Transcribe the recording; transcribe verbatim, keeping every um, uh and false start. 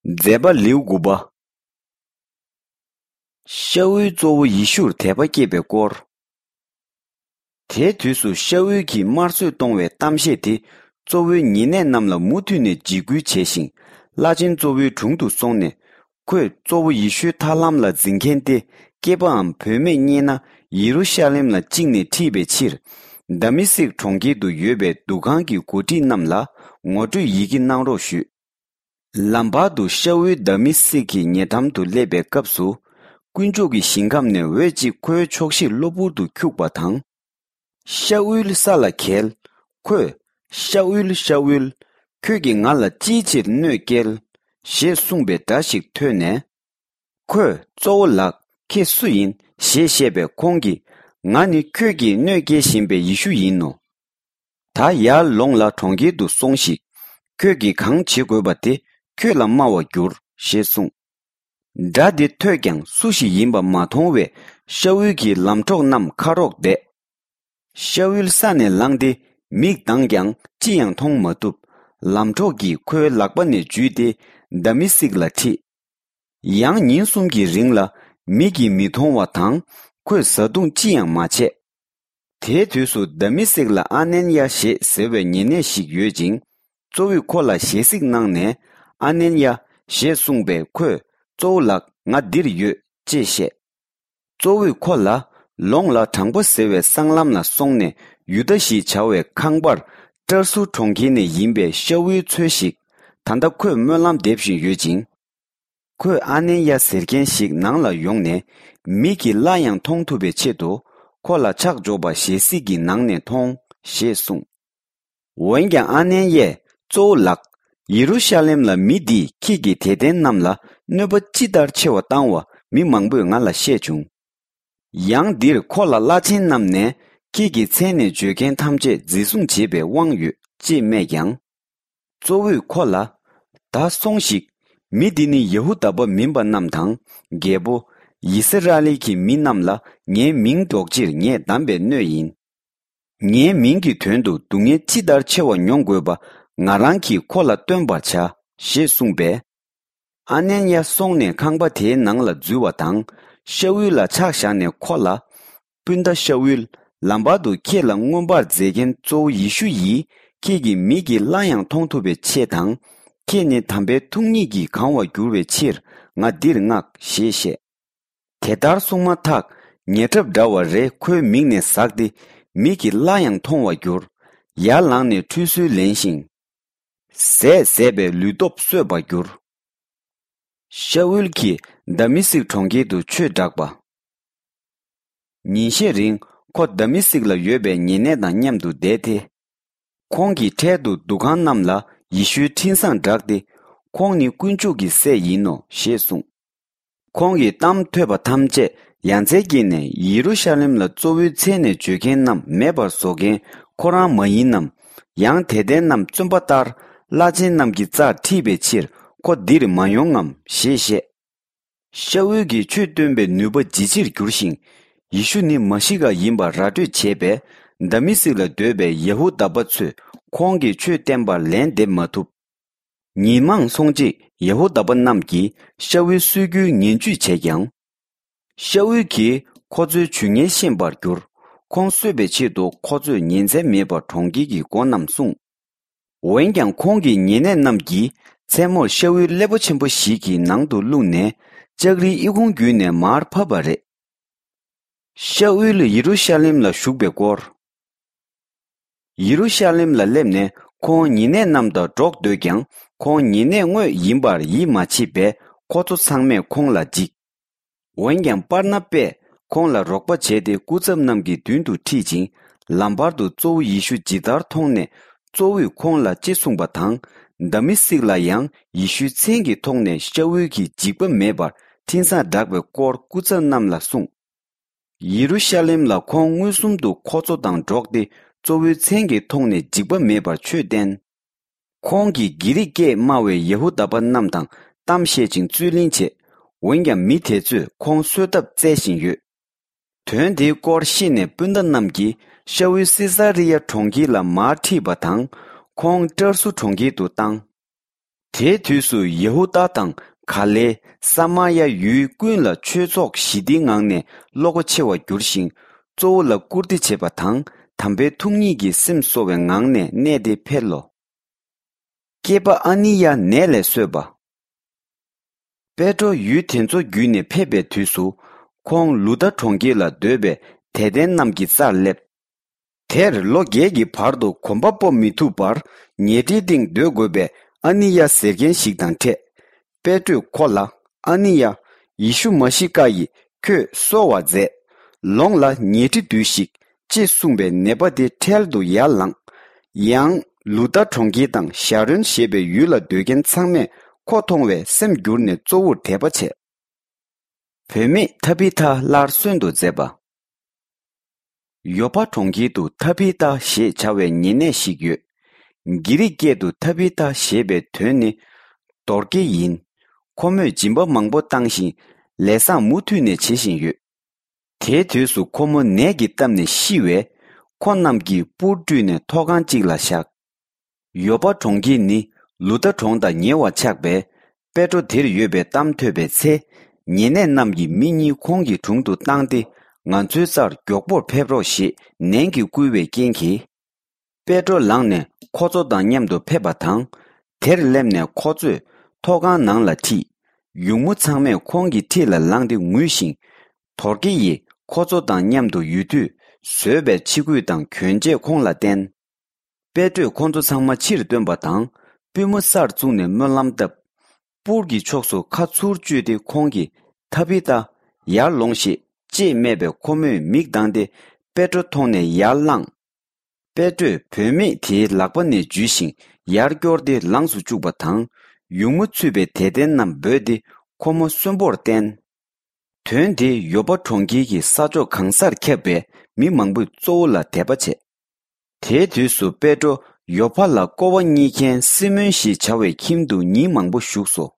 མཛད་པ་ལེའུ་དགུ་པ། ཤ་ཨུལ་གཙོ་བོ་ཡེ་ཤུར་དད་པ་སྐྱེས་པའི་སྐོར། དེའི་དུས་སུ་ཤ་ཨུལ་གྱིས་དམར་གསོད་གཏོང་བའི་གཏམ་བཤད་དེ་གཙོ་བོའི་ཉེ་གནས་རྣམས་ལ་མུ་མཐུད་ནས་འཇིགས་སྐུལ་བྱས་ཤིང་། བླ་ཆེན་གཙོ་བོའི་དྲུང་དུ་སོང་ནས། ཁོས་གཙོ་བོ་ཡེ་ཤུའི་ཐར་ལམ་ལ་འཛིན་མཁན་ཏེ་སྐྱེས་པའམ་བུད་མེད་རྙེད་ན་ཡེ་རུ་ཤ་ལེམ་ལ་བཅིངས་ནས་ཁྲིད་པའི་ཕྱིར། དཱ་མེ་སིག་གྲོང་ཁྱེར་དུ་ཡོད་པའི་འདུ་ཁང་གི་འགོ་ཁྲིད་རྣམས་ལ་ངོ་སྤྲོད་ཡི་གེ་གནང་རོགས་ཞུས། ལམ་བར་དུ་ཤ་ཨུལ་དཱ་མེ་སིག་གི་ཉེ་འགྲམ་དུ་སླེབས་པའི་སྐབས་སུ། དཀོན་མཆོག་གི་ཞིང་ཁམས་ནས་འོད་ཅིག་ཁོའི་ཕྱོགས་བཞིར་གློ་བུར་དུ་འཁྱུག་པ་དང་། ཤ་ཨུལ་ས་ལ་འགྱེལ། ཁོས། ཤ་ཨུལ་ཤ་ཨུལ། ཁྱོད་ཀྱིས་ང་ལ་ཅིའི་ཕྱིར་གནོད་སྐྱེལ། ཞེས་གསུངས་པའི་སྒྲ་ཞིག་ཐོས་ནས། ཁོས་གཙོ་བོ་ལགས་ཁྱེད་སུ་ཡིན་ཞེས་བཤད་པས་ཁོང་གིས། ང་ནི་ཁྱོད་ཀྱིས་གནོད་སྐྱེལ་བཞིན་པའི་ཡེ་ཤུ་ཡིན་ནོ། ད་ཡར་ལོངས་ལ་གྲོང་ཁྱེར་དུ་སོང་ཞིག་ཁྱོད་ཀྱིས་གང་བྱེད་དགོས་པ་དེ་ཁྱོད་ལ་སྨྲ་བར་འགྱུར་ཞེས་གསུངས། སྒྲ་དེ་ཐོས་ཀྱང་སུ་ཞིག་ཡིན་པ་མ་མཐོང་བས་ཤ་ཨུལ་གྱི་ལམ་གྲོགས་རྣམས་ཁ་རོག་བསྡད། ཤ་ཨུལ་ས་ནས་ལངས་ཏེ་མིག་གདངས་ཀྱང་ཅི་ཡང་མཐོང་མ་ཐུབ། ལམ་གྲོགས་ཀྱིས་ཁོའི་ལག་པ་ནས་འཇུས་ཏེ་དཱ་མེ་སིག་ལ་ཁྲིད། ཡང་ཉིན་གསུམ་གྱི་རིང་ལ་མིག་གིས་མི་མཐོང་བ་དང་ཁོས་བཟའ་བཏུང་ཅི་ཡང་མ་བྱས། དེའི་དུས་སུ་དཱ་མེ་སིག་ལ་ཨ་ནན་ཡ་ཞེས་ཟེར་བའི་ཉེ་གནས་ཤིག་ཡོད་ཅིང་། གཙོ་བོས་ཁོ་ལ་ཞལ་གཟིགས་གནང་ནས། ཨ་ནན་ཡ་ཞེས་གསུངས་པས་ཁོས། གཙོ་བོ་ལགས་ང་འདིར་ཡོད་ཅེས་བཤད། གཙོ་བོས་ཁོ་ལ། ལོངས་ལ་དྲང་པོ་ཟེར་བའི་སྲང་ལམ་ལ་སོང་ནས་ཡུ་དཱ་ཞེས་བྱ་བའི་ཁང་པར་ཏར་སུ་གྲོང་ཁྱེར་ནས་ཡིན་པའི་ཤ་ཨུལ་འཚོལ་ཞིག་ད་ལྟ་ཁོས་སྨོན་ལམ་འདེབས་བཞིན་ཡོད་ཅིང་། ཁོས་ཨ་ནན་ཡ་ཟེར་མཁན་ཞིག་ནང་ལ་ཡོང་ནས་མིག་གིས་སླར་ཡང་མཐོང་ཐུབ་པའི་ཆེད་དུ་ཁོ་ལ་ཕྱག་འཇོག་པ་ཞལ་གཟིགས་ཀྱི་ནང་ནས་མཐོང་ཞེས་གསུངས། འོན་ཀྱང་ཨ་ནན་ཡས་གཙོ་བོ་ལགས། ཡེ་རུ་ཤ་ལེམ་ལ་མི་འདིས་ཁྱེད་ཀྱི་དད་ལྡན་རྣམས་ལ་གནོད་པ་ཅི་ལྟར་ཆེ་བ་བཏང་བ་མི་མང་པོས་ང་ལ་བཤད་བྱུང་། ཡང་འདིར་ཁོ་ལ་བླ་ཆེན་རྣམས་ནས་ཁྱེད་ཀྱི་མཚན་ནས་བརྗོད་མཁན་ཐམས་ཅད་འཛིན་བཟུང་བྱེད་པའི་དབང་ཡོད་ཅེས་སྨྲས་ཀྱང་། གཙོ་བོས་ཁོ་ལ། ད་སོང་ཞིག་མི་འདི་ནི་ཡ་ཧུ་དཱ་པ་མིན་པ་རྣམས་དང་རྒྱལ་པོ། ཡི་སི་ར་ཨེལ་གྱི་མི་རྣམས་ལ་ངའི་མིང་སྒྲོག་ཕྱིར་ངས་བདམས་པའི་སྣོད་ཡིན། ངའི་མིང་གི་དོན་དུ་སྡུག་བསྔལ་ཅི་ལྟར་ཆེ་བ་མྱོང་དགོས་པ་ང་རང་གིས་ཁོ་ལ་སྟོན་པར་བྱ་ཞེས་གསུངས་པས། ཨ་ནན་ཡ་སོང་ནས་ཁང་པ་དེའི་ནང་ལ་འཛུལ་བ་དང་ཤ་ཨུལ་ལ་ཕྱག་བཞག་ནས་ཁོ་ལ། སྤུན་ཟླ་ཤ་ཨུལ། ལམ་བར་དུ་ཁྱེད་ལ་མངོན་པར་མཛད་མཁན་གཙོ་བོ་ཡེ་ཤུ་ཡིས་ཁྱེད་ཀྱི་མིག་གིས་སླར་ཡང་མཐོང་ཐུབ་པའི་ཆེད་དང་། ཁྱེད་ནི་དམ་པའི་ཐུགས་ཉིད་ཀྱིས་གང་བར་འགྱུར་བའི་ཕྱིར་ང་འདིར་མངགས་ཞེས་བཤད། དེ་ལྟར་གསུངས་མ་ཐག་ཉེ་ཁྲབ་འདྲ་བ་རེ་ཁོའི་མིག་ནས་ཟགས་ཏེ་མིག་གིས་སླར་ཡང་མཐོང་བར་གྱུར། ཡར་ལངས་ནས་ཁྲུས་གསོལ་ལེན་ཞིང་། ཟས་ཟས་པས་ལུས་སྟོབས་གསོས་པར་གྱུར། ཤ་ཨུལ་གྱིས་དཱ་མེ་སིག་གྲོང་ཁྱེར་དུ་ཆོས་བསྒྲགས་པ། ཉིན་ཤས་རིང་ཁོ་དཱ་མེ་སིག་ལ་ཡོད་པའི་ཉེ་གནས་དང་མཉམ་དུ་བསྡད་དེ། ཁོང་གིས་འཕྲལ་དུ་འདུ་ཁང་རྣམས་ལ་ཡེ་ཤུའི་འཕྲིན་བཟང་བསྒྲགས་ཏེ། ཁོང་ནི་དཀོན་མཆོག་གི་སྲས་ཡིན་ནོ་ཞེས་གསུངས། ཁོང་གི་གཏམ་ཐོས་པ་ཐམས་ཅད་ཡ་མཚན་སྐྱེས་ནས་ཡེ་རུ་ཤ་ལེམ་ལ་གཙོ་བོའི་མཚན་ནས་བརྗོད་མཁན་རྣམས་མེད་པར་བཟོ་མཁན་ཁོ་རང་མ་ཡིན་ནམ། ཡང་དད་ལྡན་རྣམས་བཙོན་པ་ལྟར་བླ་ཆེན་རྣམས་ཀྱི་རྩར་ཁྲིད་པའི་ཕྱིར་ཁོ་འདིར་མ་ཡོང་ངམ་ཞེས་བཤད། ཤ་ཨུལ་གྱིས་ཆོས་སྟོན་པའི་ནུས་པ་ཇེ་ཆེར་གྱུར་ཞིང་། ཡེ་ཤུ་ནི་མ་ཤི་ཀ་ཡིན་པར་ར་སྤྲོད་བྱས་པས། དཱ་མེ་སིག་ལ་སྡོད་པའི་ཡ་ཧུ་དཱ་པ་ཚོས་ཁོང་གི་ཆོས་བསྟན་པར་ལན་འདེབས་མ་ཐུབ། ཉིན་མང་སོང་རྗེས་ཡ་ཧུ་དཱ་པ་རྣམས་ཀྱིས་ཤ་ཨུལ་གསོད་རྒྱུའི་ངན་ཇུས་བྱས་ཀྱང་། ཤ་ཨུལ་གྱིས་ཁོ་ཚོའི་ཇུས་ངན་ཤེས་པར་གྱུར། ཁོང་གསོད་པའི་ཆེད་དུ་ཁོ་ཚོས་ཉིན་མཚན་མེད་པར་གྲོང་ཁྱེར་གྱི་སྒོ་རྣམས་སྲུང་། འོན་ཀྱང་ཁོང་གི་ཉེ་གནས་རྣམས་ཀྱིས་མཚན་མོར་ཤ་ཨུལ་སླེ་པོ་ཆེན་པོ་ཞིག་གི་ནང་དུ་བླུགས་ནས་ལྕགས་རིའི་ཨི་ཁུང་བརྒྱུད་ནས་མར་ཕབ་པ་རེད། ཤ་ཨུལ་ཡེ་རུ་ཤ་ལེམ་ལ་བཞུགས་པའི་སྐོར། ཡེ་རུ་ཤ་ལེམ་ལ་སླེབས་ནས་ཁོང་ཉེ་གནས་རྣམས་དང་འགྲོགས་འདོད་ཀྱང་ཁོང་ཉེ་གནས་དངོས་ཡིན་པར་ཡིད་མ་ཆེས་པས་ཁོ་ཚོ་ཚང་མས་ཁོང་ལ་འཇིགས། འོན་ཀྱང་པར་ན་པས་ཁོང་ལ་རོགས་པ་བྱས་ཏེ་སྐུ་ཚབ་རྣམས་ཀྱི་མདུན་དུ་ཁྲིད་ཅིང་ལམ་བར་དུ་གཙོ་བོ་ཡེ་ཤུ་ཇི་ལྟར་མཐོང་ནས་གཙོ་བོས་ཁོང་ལ་ཅི་གསུངས་པ་དང་། དཱ་མེ་སིག་ལ་ཡང་ཡེ་ཤུའི་མཚན་གྱི་ཐོག་ནས་ཤ་ཨུལ་གྱིས་འཇིགས་པ་མེད་པར་འཕྲིན་བཟང་བསྒྲགས་པའི་སྐོར་སྐུ་ཚབ་རྣམས་ལ་གསུངས། ཡེ་རུ་ཤ་ལེམ་ལ་ཁོང་མངོན་སུམ་དུ་ཁོ་ཚོ་དང་འགྲོགས་ཏེ་གཙོ་བོའི་མཚན་གྱི་ཐོག་ནས་འཇིགས་པ་མེད་པར་ཆོས་བསྟན། ཁོང་གིས་གྷི་རིག་སྐད་སྨྲ་བའི་ཡ་ཧུ་དཱ་པ་རྣམས་དང་གཏམ་བཤད་ཅིང་རྩོད་གླེང་བྱས། འོན་ཀྱང་མི་དེ་ཚོས་ཁོང་གསོད་ཐབས་བཙལ་བཞིན་ཡོད། དོན་དེའི་སྐོར་ཤེས་ནས་སྤུན་ཟླ་རྣམས་ཀྱིས་ཤ་ཨུལ་སི་ས་རི་ཡ་གྲོང་ཁྱེར་ལ་མར་ཁྲིད་པ་དང་། ཁོང་ཏྲར་སུ་གྲོང་ཁྱེར་དུ་བཏང་། དེའི་དུས་སུ་ཡ་ཧུ་དཱ་དང་ག་ལེ་ས་མ་ཡ་ཡུལ་ཀུན་ལ་ཆོས་ཚོགས་ཞི་བདེའི་ངང་ནས་བློ་ཁ་ཆེ་བར་གྱུར་ཞིང་། གཙོ་བོ་ལ་བཀུར་སྟི་བྱེད་པ་དང་དམ་པའི་ཐུགས་ཉིད་ཀྱི་སེམས་གསོ་བའི་ངང་ནས་གནས་དེ་འཕེལ་ལོ། སྐྱེས་པ་ཨ་ནི་ཡ་ནད་ལས་གསོས་པ། པེ་ཏྲོ་ཡུལ་དེ་ཚོ་བརྒྱུད་ནས་ཕེབས་པའི་དུས་སུ། ཁོང་ལུ་དཱ་གྲོང་ཁྱེར་ལ་སྡོད་པའི་དད་ལྡན་རྣམས་ཀྱི་རྩར་སླེབས། དེར་ལོ་བརྒྱད་ཀྱི་བར་དུ་གོམ་པ་སྤོ་མི་ཐུབ་པར་ཉལ་ཁྲིའི་སྟེང་སྡོད་དགོས་པའི་ཨ་ནི་ཡ་ཟེར་མཁན་ཞིག་དང་འཕྲད། པེ་ཏྲོས་ཁོ་ལ། ཨ་ནི་ཡ། ཡེ་ཤུ་མ་ཤི་ཀ་ཡིས་ཁྱོད་གསོ་བར་མཛད། ལོངས་ལ་ཉལ་ཁྲི་སྡོད་ཤིག །ཅེས་གསུངས་པའི་ནད་པ་དེ་འཕྲལ་དུ་ཡར་ལངས། ཡང་ལུ་དཱ་གྲོང་ཁྱེར་དང་ཤ་རོན་ཞེས་པའི་ཡུལ་ལ་སྡོད་མཁན་ཚང་མས་ཁོ་མཐོང་བས་སེམས་འགྱུར་ནས་གཙོ་བོར་དད་པ་བྱས། བུད་མེད་ཐ་བི་ཐ་སླར་གསོན་དུ་མཛད་པ། ཡོ་པ་གྲོང་ཁྱེར་དུ་ཐ་བི་ཐ་ཞེས་བྱ་བའི་ཉེ་གནས་ཤིག་ཡོད། གྷི་རིག་སྐད་དུ་ཐ་བི་ཐ་ཞེས་པའི་དོན་ནི། རྡོར་སྐྱེས་ཡིན། ཁོ་མོས་སྦྱིན་པ་མང་པོ་བཏང་ཞིང་ལས་བཟང་མུ་མཐུད་ནས་བྱེད་བཞིན་ཡོད། དེའི་དུས་སུ་ཁོ་མོ་ནད་ཀྱིས་བཏབ་ནས་ཤི་བས། ཁོ་རྣམས་ཀྱིས་སྤུར་བཀྲུས་ནས་ཐོག་ཁང་གཅིག་ལ་བཞག །ཡོ་པ་གྲོང་ཁྱེར་ནི་ལུ་དཱ་གྲོང་དང་ཉེ་བར་ཆགས་པས། པེ་ཏྲོ་དེར་ཡོད་པའི་གཏམ་ཐོས་པའི་ཚེ། ཉེ་གནས་རྣམས་ཀྱིས་མི་གཉིས་ཁོང་གི་དྲུང་དུ་བཏང་སྟེ། ང་ཚོའི་རྩར་མགྱོགས་པོར་ཕེབས་རོགས་ཞེས་ནན་གྱིས་བསྐུལ་བའི་རྐྱེན་གྱིས། པེ་ཏྲོ་ལངས་ནས་ཁོ་ཚོ་དང་མཉམ་དུ་ཕེབས་པ་དང་། དེར་སླེབས་ནས་ཁོ་ཚོས་ཐོག་ཁང་ནང་ལ་ཁྲིད། ཡུགས་མོ་ཚང་མས་ཁོང་གི་འཁྲིས་ལ་ལངས་ཏེ་ངུས་ཤིང་། རྡོར་སྐྱེས་ཡིས་ཁོ་ཚོ་དང་མཉམ་དུ་ཡོད་དུས་བཟོས་པའི་ཕྱི་གོས་དང་གྱོན་ཆས་ཁོང་ལ་བསྟན། པེ་ཏྲོས་ཁོ་ཚོ་ཚང་མ་ཕྱིར་བཏོན་པ་དང་། པུས་མོ་སར་བཙུགས་ནས་སྨོན་ལམ་བཏབ། སྤུར་གྱི་ཕྱོགས་སུ་ཁ་ཚུར་གཅུས་ཏེ་ཁོང་གིས། ཐ་བི་ཐ། ཡར་ལོངས་ཤིག །ཅེས་སྨྲས་པས་ཁོ་མོས་མིག་གདངས་ཏེ། པེ་ཏྲོ་མཐོང་ནས་ཡར་ལངས། པེ་ཏྲོས་བུད་མེད་དེའི་ལག་པ་ནས་འཇུས་ཤིང་ཡར་སྐྱོར་ཏེ་ལངས་སུ་བཅུག་པ་དང་། ཡུགས་མོ་ཚུད་པའི་དད་ལྡན་རྣམས་འབོད་དེ་ཁོ་མོ་གསོན་པོར་བསྟན། དོན་དེ་ཡོ་པ་གྲོང་ཁྱེར་གྱི་ས་ཕྱོགས་གང་སར་ཁྱབ་པས་མི་མང་པོས་གཙོ་བོ་ལ་དད་པ་བྱས། དེའི་དུས་སུ་པེ་ཏྲོ་ཡོ་ཕ་ལ་ཀོ་བ་རྙེད་མཁན་སི་མོན་ཞེས་བྱ་བའི་ཁྱིམ་དུ་ཉིན་མང་པོ་བཞུགས་སོ།